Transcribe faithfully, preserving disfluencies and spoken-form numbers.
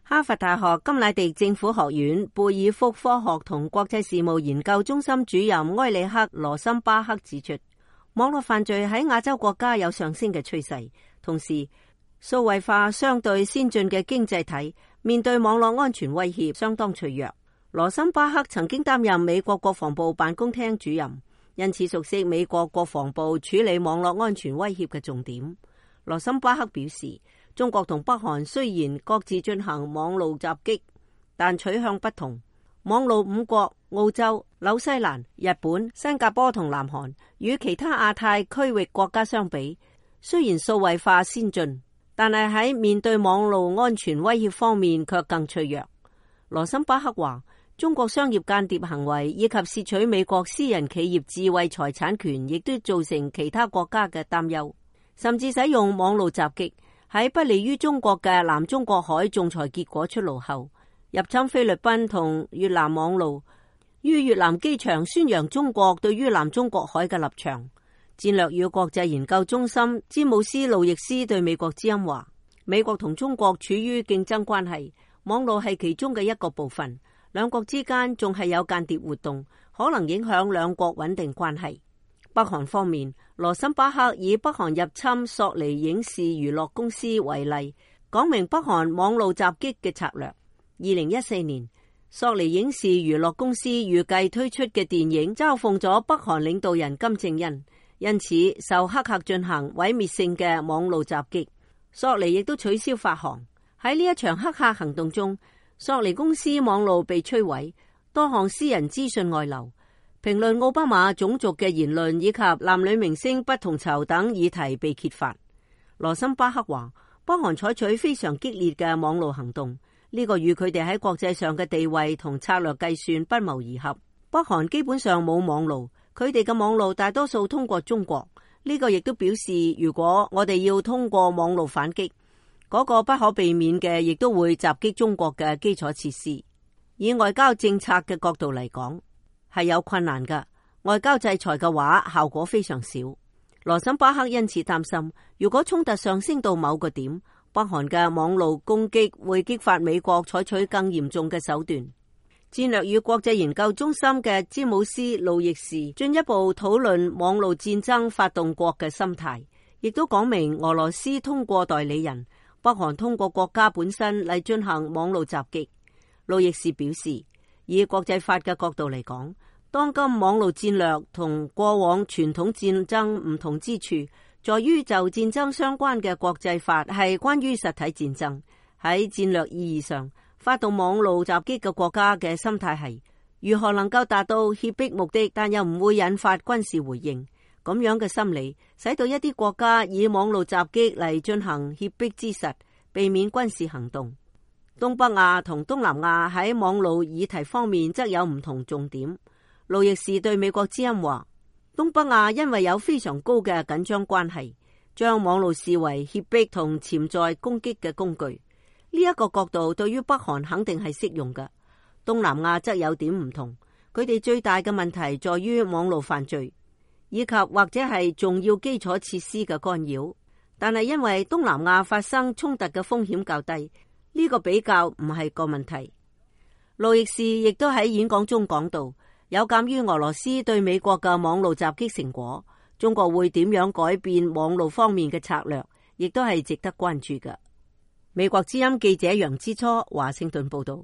哈佛大學甘迺迪政府學院貝爾福科學同國際事務研究中心主任埃里克羅森巴克指出，網絡犯罪喺亞洲國家有上升嘅趨勢，同時數位化相對先進嘅經濟體面對網絡安全威脅相當脆弱。羅森巴克曾經擔任美國國防部辦公廳主任，因此熟悉美國國防部處理網絡安全威脅嘅重點。羅森巴克表示，中國同北韓雖然各自進行網路襲擊，但取向不同。網路五國澳洲、紐西蘭、日本、新加坡同南韓與其他亞太區域國家相比，雖然數位化先進，但係喺面對網路安全威脅方面卻更脆弱。羅森巴克話，中國商業間諜行為以及竊取美國私人企業智慧財產權，亦都造成其他國家嘅擔憂，甚至使用網路襲擊。喺不利於中國嘅南中國海仲裁結果出爐後，入侵菲律賓同越南網路，於越南機場宣揚中國對於南中國海嘅立場。戰略與國際研究中心詹姆斯路易斯對美國之音話，美國同中國處於競爭關係，網路係其中嘅一個部分，兩國之間仲係有間諜活動，可能影響兩國穩定關係。北韓方面，羅森巴克以北韓入侵索尼影視娛樂公司為例，講明北韓網路襲擊嘅策略。二零一四年，索尼影視娛樂公司預計推出嘅電影嘲諷咗北韓領導人金正恩，因此受黑客進行毀滅性嘅網路襲擊。索尼亦都取消發行。喺呢一場黑客行動中，索尼公司網路被摧毀，多項私人資訊外流。評論奧巴馬種族嘅言論以及男女明星不同酬等議題被揭發。羅森巴克話，北韓採取非常激烈嘅網路行動，呢個與佢哋喺國際上嘅地位同策略計算不謀而合。北韓基本上冇網路，佢哋嘅網路大多數通過中國，呢個亦都表示，如果我哋要通過網路反擊，嗰個不可避免嘅亦都會襲擊中國嘅基礎設施。以外交政策嘅角度嚟講，係有困難㗎，外交制裁嘅話效果非常少。羅森巴克因此擔心，如果衝突上升到某個點，北韓嘅網路攻擊會激發美國採取更嚴重嘅手段。戰略與國際研究中心嘅詹姆斯路易士進一步討論網路戰爭發動國嘅心態，亦都講明俄羅斯通過代理人，北韓通過國家本身嚟進行網路襲擊。路易士表示，以國際法嘅角度嚟講，當今網路戰略同過往傳統戰爭唔同之處，在於就戰爭相關嘅國際法係關於實體戰爭。喺戰略意義上，發動網路襲擊嘅國家嘅心態係如何能夠達到脅迫目的，但又唔會引發軍事回應。咁樣嘅心理，使到一啲國家以網路襲擊嚟進行脅迫之實，避免軍事行動。東北亞同東南亞喺網路議題方面則有唔同重點。路易士對美國之音話，東北亞因為有非常高嘅緊張關係，將網路視為脅迫同潛在攻擊嘅工具。呢一個角度對於北韓肯定係適用嘅。東南亞則有點唔同，佢哋最大嘅問題在於網路犯罪，以及或者係重要基礎設施嘅干擾。但係因為東南亞發生衝突嘅風險較低，呢個比較唔係個問題。路易士亦都喺演講中講到，有鑒於俄羅斯對美國嘅網路襲擊成果，中國會點樣改變網路方面嘅策略，亦都係值得關注嘅。美國之音記者楊之初華盛頓報道。